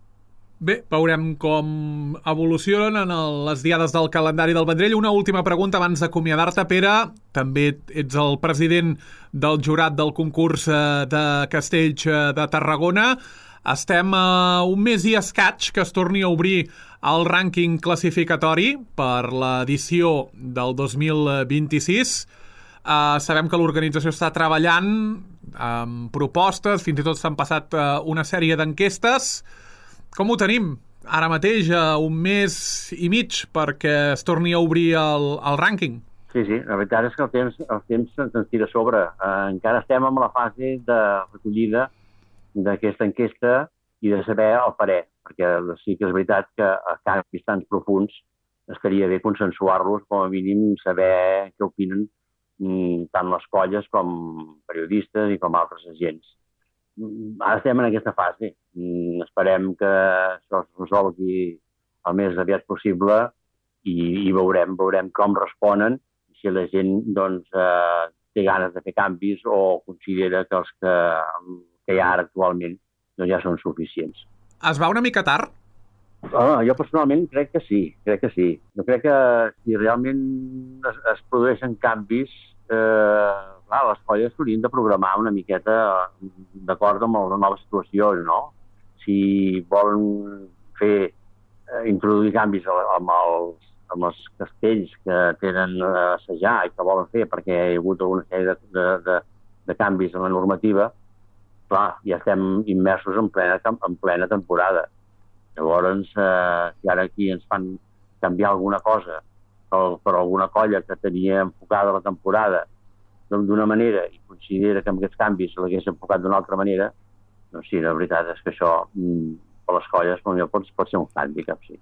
Bé, veurem com evolucionen les diades del calendari del Vendrell. Una última pregunta abans d'acomiadar-te, Pere. També ets el president del jurat del concurs de Castells de Tarragona. Estem a un mes i escaig que es torni a obrir el rànquing classificatori per l'edició del dos mil vint-i-sis. Uh, sabem que l'organització està treballant amb propostes, fins i tot s'han passat uh, una sèrie d'enquestes. Com ho tenim ara mateix, a un mes i mig, perquè es torni a obrir el, el rànquing? Sí, sí, la veritat és que el temps, el temps se'ns tira a sobre. Uh, encara estem en la fase de recollida d'aquesta enquesta i de saber el parer, perquè sí que és veritat que a canvis tan profunds estaria bé consensuar-los, com a mínim saber què opinen tant les colles com periodistes i com altres agents. Ara estem en aquesta fase. Esperem que això es resolgui el més aviat possible i, i veurem, veurem com responen, si la gent doncs, eh, té ganes de fer canvis o considera que els que, que hi ha ara actualment doncs, ja són suficients. Es va una mica tard? Oh, jo personalment crec que sí, crec que sí. Jo crec que si realment es, es produeixen canvis eh, clar, les colles s'haurien de programar una miqueta d'acord amb les noves situacions, no? Si volen fer, eh, introduir canvis amb els, amb els castells que tenen a assajar i que volen fer perquè hi ha hagut alguna sèrie de, de, de, de canvis en la normativa, clar, ja estem immersos en plena, en plena temporada. Llavors, eh, si ara aquí ens fan canviar alguna cosa per, per alguna colla que tenia enfocada la temporada d'una manera i considera que amb aquests canvis l'hagués enfocat d'una altra manera, doncs sí, la veritat és que això per les colles pot, pot ser un hàndicap, sí.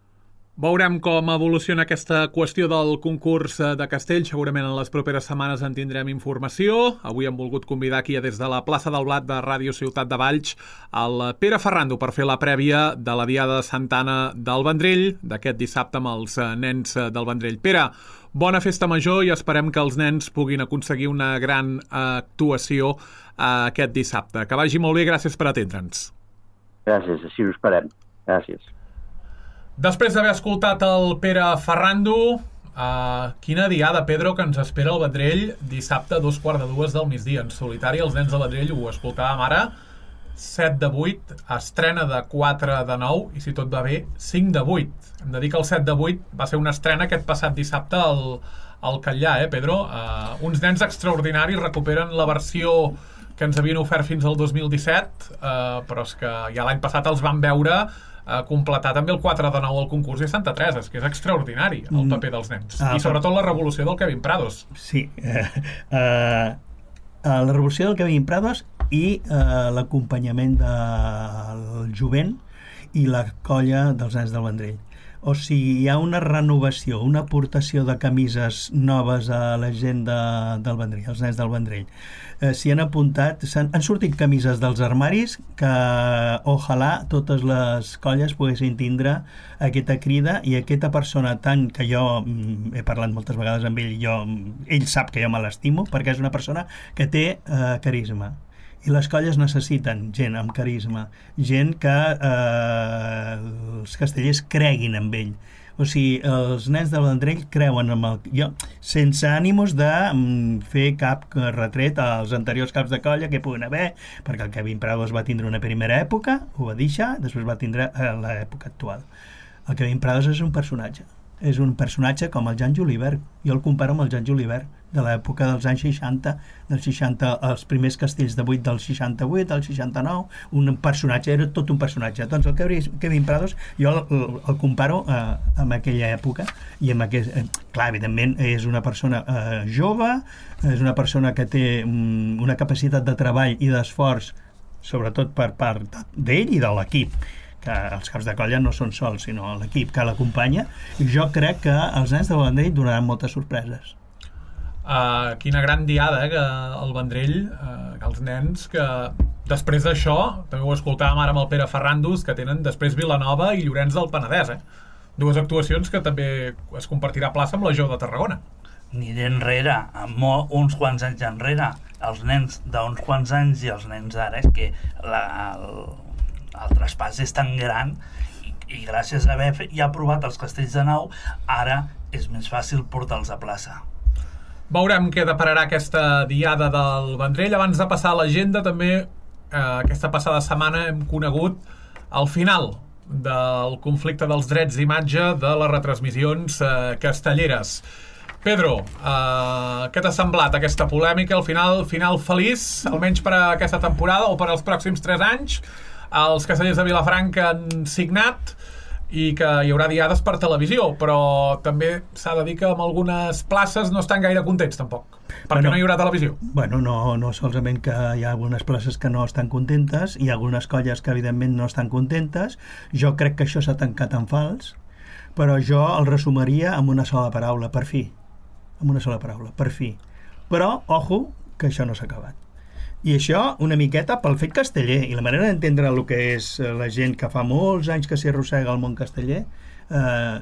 Veurem com evoluciona aquesta qüestió del concurs de castells. Segurament en les properes setmanes en tindrem informació. Avui hem volgut convidar aquí des de la plaça del Blat de Ràdio Ciutat de Valls el Pere Ferrando per fer la prèvia de la Diada de Santa Anna del Vendrell d'aquest dissabte amb els nens del Vendrell. Pere, bona festa major i esperem que els nens puguin aconseguir una gran actuació aquest dissabte. Que vagi molt bé, gràcies per atendre'ns. Gràcies, així ho esperem. Gràcies. Després d'haver escoltat el Pere Ferrando, uh, quina diada, Pedro, que ens espera el Vendrell dissabte a dos quarts de dues del migdia. En solitari, els nens del Vendrell, ho escoltàvem ara, set de vuit, estrena de quatre de nou i, si tot va bé, cinc de vuit. Hem de dir que el set de vuit va ser una estrena aquest passat dissabte al, al Catllà, eh, Pedro? Uh, uns nens extraordinaris recuperen la versió que ens havien ofert fins al dos mil disset, uh, però és que ja l'any passat els vam veure a completar també el quatre de nou al concurs de Santa Teresa, és que és extraordinari el paper dels nens, ah, i sobretot la revolució del Kevin Prados. Sí, eh, eh, la revolució del Kevin Prados i eh, l'acompanyament del jovent i la colla dels nens del Vendrell. O sigui, hi ha una renovació, una aportació de camises noves a la gent de, del Vendrell, els nens del Vendrell. Eh, s'hi han apuntat, han, han sortit camises dels armaris que ojalà totes les colles poguessin tindre aquesta crida i aquesta persona tant que jo mm, he parlat moltes vegades amb ell, jo, ell sap que jo me l'estimo perquè és una persona que té eh, carisma. I les colles necessiten gent amb carisma, gent que eh, els castellers creguin en ell. O sigui, els nens del Vendrell creuen en el... Jo, sense ànimos de mm, fer cap retret als anteriors caps de colla que puguen haver, perquè el Kevin Prados va tindre una primera època, ho va deixar, després va tindre eh, l'època actual. El Kevin Prados és un personatge. És un personatge com el Jan Julivert. Jo el comparo amb el Jan Julivert de l'època dels anys seixanta, dels seixanta, els primers castells de vuit del seixanta-vuit, del seixanta-nou, un personatge, era tot un personatge. Doncs el Kevin Prados jo el, el comparo eh, amb aquella època i amb aquest, eh, clar, evidentment és una persona eh, jove, és una persona que té um, una capacitat de treball i d'esforç, sobretot per part d'ell i de l'equip, que els caps de colla no són sols, sinó l'equip que l'acompanya, i jo crec que els nens del Vendrell donaran moltes sorpreses. Uh, quina gran diada, eh, que el Vendrell, uh, els nens que després d'això, també ho escoltàvem ara amb el Pere Ferrandos, que tenen després Vilanova i Llorenç del Penedès, eh? Dues actuacions que també es compartirà plaça amb la Jou de Tarragona. Ni d'enrere, amb uns quants anys enrere, els nens d'uns quants anys i els nens d'ara, és que la, el, el traspàs és tan gran i, i gràcies a haver ja provat els castells de nou, ara és més fàcil portar-los a plaça. Veurem què depararà aquesta diada del Vendrell. Abans de passar a l'agenda, també eh, aquesta passada setmana hem conegut el final del conflicte dels drets d'imatge de les retransmissions eh, castelleres. Pedro, eh, què t'ha semblat aquesta polèmica? Al final, final feliç, almenys per a aquesta temporada o per als pròxims tres anys? Els castellers de Vilafranca han signat i que hi haurà diades per televisió, però també s'ha de dir que en algunes places no estan gaire contents tampoc, perquè bueno, no hi haurà televisió. Bueno, no, no solament que hi ha algunes places que no estan contentes, hi ha algunes colles que evidentment no estan contentes. Jo crec que això s'ha tancat en fals, però jo el resumiria amb una sola paraula, per fi. Amb una sola paraula, per fi. Però, ojo, que això no s'ha acabat. I això una miqueta pel fet casteller i la manera d'entendre el que és la gent que fa molts anys que s'hi arrossega al món casteller, eh,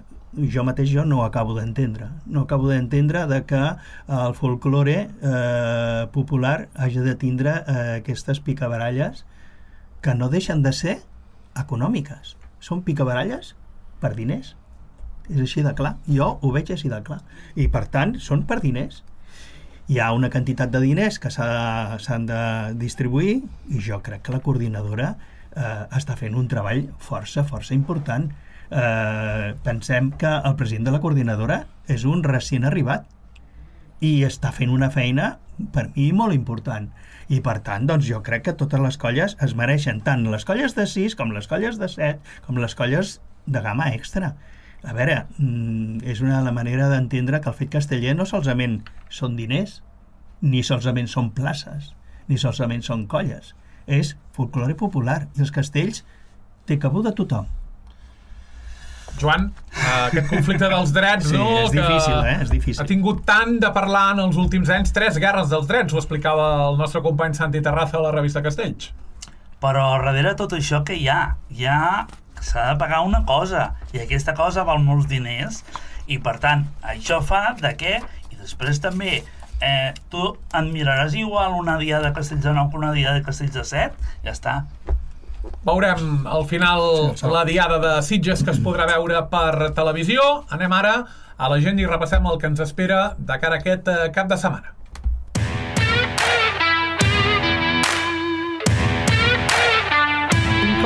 jo mateix jo no ho acabo d'entendre. No acabo d'entendre de que el folklore eh, popular hagi de tindre eh, aquestes picabaralles que no deixen de ser econòmiques. Són picabaralles per diners. És així de clar. Jo ho veig així de clar. I per tant, són per diners. hi ha una quantitat de diners que s'han de distribuir i jo crec que la coordinadora eh, està fent un treball força, força important. Eh, pensem que el president de la coordinadora és un recient arribat i està fent una feina per mi molt important i per tant doncs jo crec que totes les colles es mereixen, tant les colles de sis com les colles de set com les colles de gamma extra. A veure, és una la manera d'entendre que el fet casteller no solament són diners, ni solament són places, ni solament són colles. És folklore popular i els castells té cabuda tothom. Joan, aquest conflicte dels drets, sí, no? és difícil, que eh? És difícil. Ha tingut tant de parlar en els últims anys, tres guerres dels drets, ho explicava el nostre company Santi Terraza a la revista Castells. Però darrere tot això que hi ha? Hi ha... s'ha de pagar una cosa, i aquesta cosa val molts diners, i per tant, això fa de què? I després també, eh, tu et miraràs igual una dia de Castells de nou que una dia de Castells de set? Ja està. Veurem al final la diada de Sitges que es podrà veure per televisió. Anem ara a l'agenda i repassem el que ens espera de cara a aquest cap de setmana.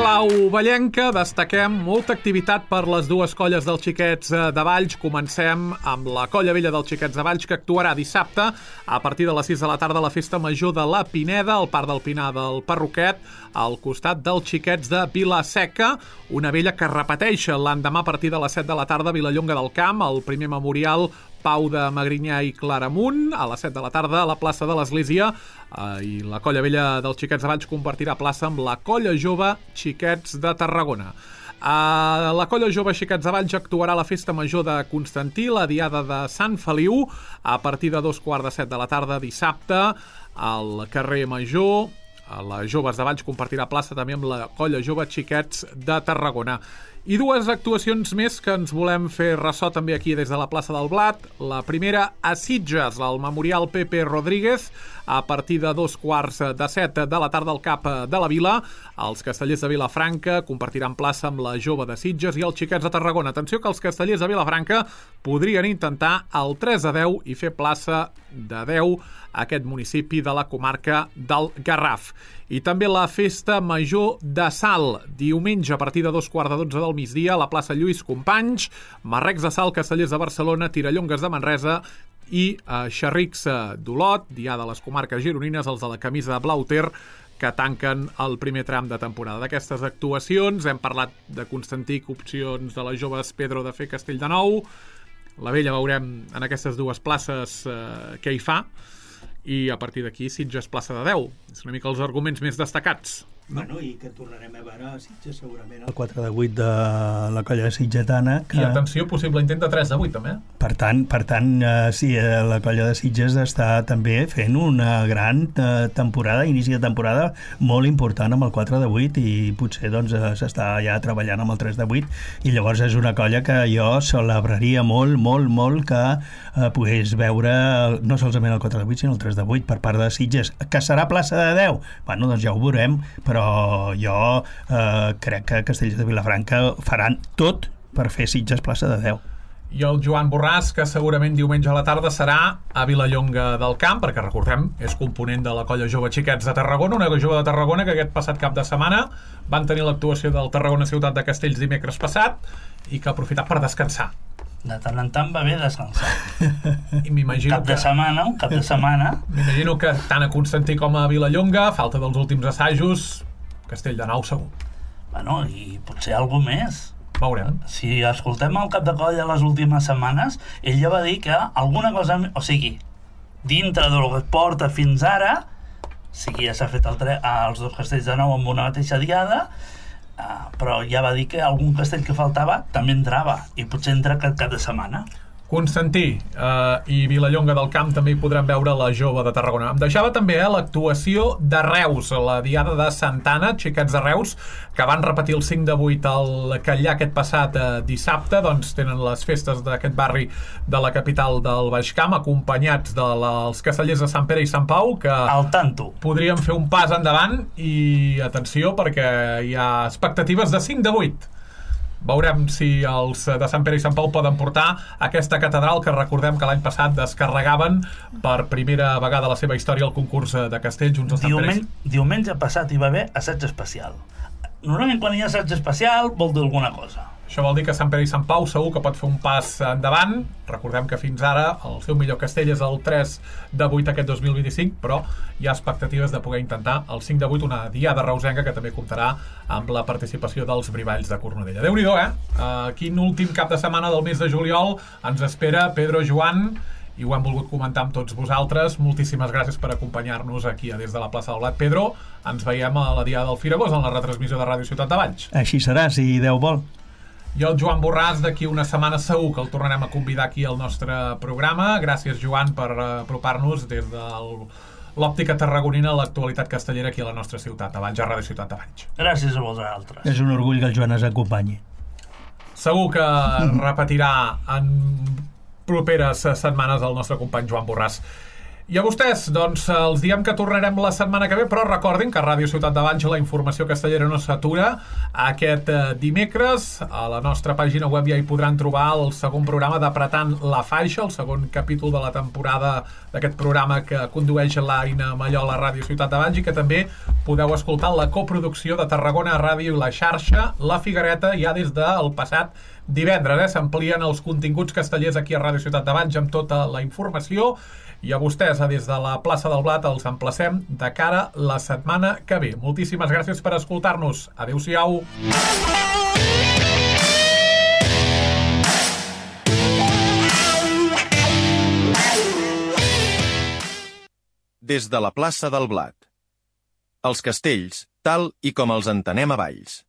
Clau vallenca, destaquem molta activitat per les dues colles dels Xiquets de Valls. Comencem amb la Colla Vella dels Xiquets de Valls, que actuarà dissabte a partir de les sis de la tarda a la Festa Major de la Pineda, al Parc del Pinar del Parroquet, al costat dels Xiquets de Vila-seca, una vella que repeteix l'endemà a partir de les set de la tarda a Vilallonga del Camp, el primer memorial Pau de Magrinyà i Claramunt, a les set de la tarda a la plaça de l'Església, eh, i la Colla Vella dels Xiquets de Valls compartirà plaça amb la Colla Jove Xiquets de Tarragona. A la Colla Jove Xiquets de Valls actuarà a la Festa Major de Constantí, la Diada de Sant Feliu, a partir de dos quarts de set de la tarda dissabte, al carrer Major. Les Joves de Valls compartirà plaça també amb la Colla Jove Xiquets de Tarragona. I dues actuacions més que ens volem fer ressò també aquí des de la plaça del Blat. La primera a Sitges, al Memorial Pepe Rodríguez, a partir de dos quarts de set de la tarda al Cap de la Vila. Els castellers de Vilafranca compartiran plaça amb la Jove de Sitges i els Xiquets de Tarragona. Atenció que els castellers de Vilafranca podrien intentar el tres a deu i fer plaça de deu a aquest municipi de la comarca del Garraf. I també la Festa Major de Salt, diumenge a partir de dos quarts de dotze del migdia a la plaça Lluís Companys, Marrecs de Salt, Castellers de Barcelona, Tirallongues de Manresa i eh, Xerrics d'Olot, Diada de les comarques gironines, els de la camisa blau ter, que tanquen el primer tram de temporada. D'aquestes actuacions hem parlat de Constantí, opcions de les Joves Pedro de fer Castell de Nou. La Vella veurem en aquestes dues places eh, què hi fa, i a partir d'aquí Sitges plaça de deu. És una mica els arguments més destacats. Bueno, i que tornarem a veure a Sitges segurament el quatre de vuit de la colla sitgetana. Que... I atenció, possible intent de tres de vuit també. Per tant, per tant eh, sí, la colla de Sitges està també fent una gran eh, temporada, inici de temporada molt important amb el quatre de vuit i potser doncs s'està ja treballant amb el tres de vuit i llavors és una colla que jo celebraria molt, molt, molt que eh, pogués veure no solament el quatre de vuit sinó el tres de vuit per part de Sitges. Que serà plaça de deu? Bueno, doncs ja ho veurem, però però jo eh, crec que Castellers de Vilafranca faran tot per fer Sitges plaça de deu. I el Joan Borràs, que segurament diumenge a la tarda serà a Vilallonga del Camp, perquè recordem, és component de la Colla Jove Xiquets de Tarragona, una Jove de Tarragona que aquest passat cap de setmana van tenir l'actuació del Tarragona Ciutat de Castells dimecres passat i que ha aprofitat per descansar. De tant en tant va bé descansar. I m'imagino cap de que... setmana, un cap de setmana. M'imagino que tant a Constantí com a Vilallonga, falta dels últims assajos, Castell de Nou segur. Bueno, i potser algú més. Veurem. Si escoltem el cap de colla les últimes setmanes, ell ja va dir que alguna cosa... O sigui, dintre del que es porta fins ara, sí que ja s'ha fet el tre... els dos castells de Nou amb una mateixa diada, uh, però ja va dir que algun castell que faltava també entrava, i potser entra aquest cap de setmana. Constantí eh, i Vilallonga del Camp també hi podran veure la Jove de Tarragona. Em deixava també eh, l'actuació de Reus, la Diada de Santana, Xiquets de Reus, que van repetir el cinc de vuit al Catllà aquest passat eh, dissabte, doncs tenen les festes d'aquest barri de la capital del Baix Camp, acompanyats dels castellers de Sant Pere i Sant Pau, que al tanto podrien fer un pas endavant i atenció perquè hi ha expectatives de cinc de vuit. Veurem si els de Sant Pere i Sant Pau poden portar aquesta catedral que recordem que l'any passat descarregaven per primera vegada a la seva història el concurs de castells. Uns de Sant Diumenge, Pere... diumenge passat hi va haver assaig especial. Normalment quan hi ha assaig especial vol dir alguna cosa. Això vol dir que Sant Pere i Sant Pau segur que pot fer un pas endavant. Recordem que fins ara el seu millor castell és el tres de vuit aquest dos mil vint-i-cinc, però hi ha expectatives de poder intentar el cinc de vuit, una diada reusenca que també comptarà amb la participació dels Brivalls de Cornudella. Déu-n'hi-do, eh? Uh, quin últim cap de setmana del mes de juliol ens espera Pedro, Joan, i ho hem volgut comentar amb tots vosaltres. Moltíssimes gràcies per acompanyar-nos aquí a Des de la plaça del Blat. Pedro, ens veiem a la Diada del Firagós en la retransmissió de Ràdio Ciutat de Valls. Així serà, si Déu vol. I el Joan Borràs d'aquí una setmana segur que el tornarem a convidar aquí al nostre programa. Gràcies, Joan, per apropar-nos des de l'òptica tarragonina a l'actualitat castellera aquí a la nostra ciutat de Valls, a Ràdio Ciutat de Valls. Gràcies a vosaltres. És un orgull que el Joan ens acompanyi. Segur que repetirà en properes setmanes el nostre company Joan Borràs. I a vostès, doncs, els diem que tornarem la setmana que ve, però recordin que a Ràdio Ciutat de Valls la informació castellera no s'atura. Aquest dimecres a la nostra pàgina web ja hi podran trobar el segon programa d'Apretant la Faixa, el segon capítol de la temporada d'aquest programa que condueix l'Aina Mallol a Ràdio Ciutat de Valls, i que també podeu escoltar la coproducció de Tarragona Ràdio i la xarxa La Figuereta ja des del passat divendres. Eh? S'amplien els continguts castellers aquí a Ràdio Ciutat de Valls amb tota la informació. I a vostès, a Des de la plaça del Blat, els emplacem de cara la setmana que ve. Moltíssimes gràcies per escoltar-nos. Adéu-siau. Des de la plaça del Blat. Els castells, tal i com els entenem a Valls.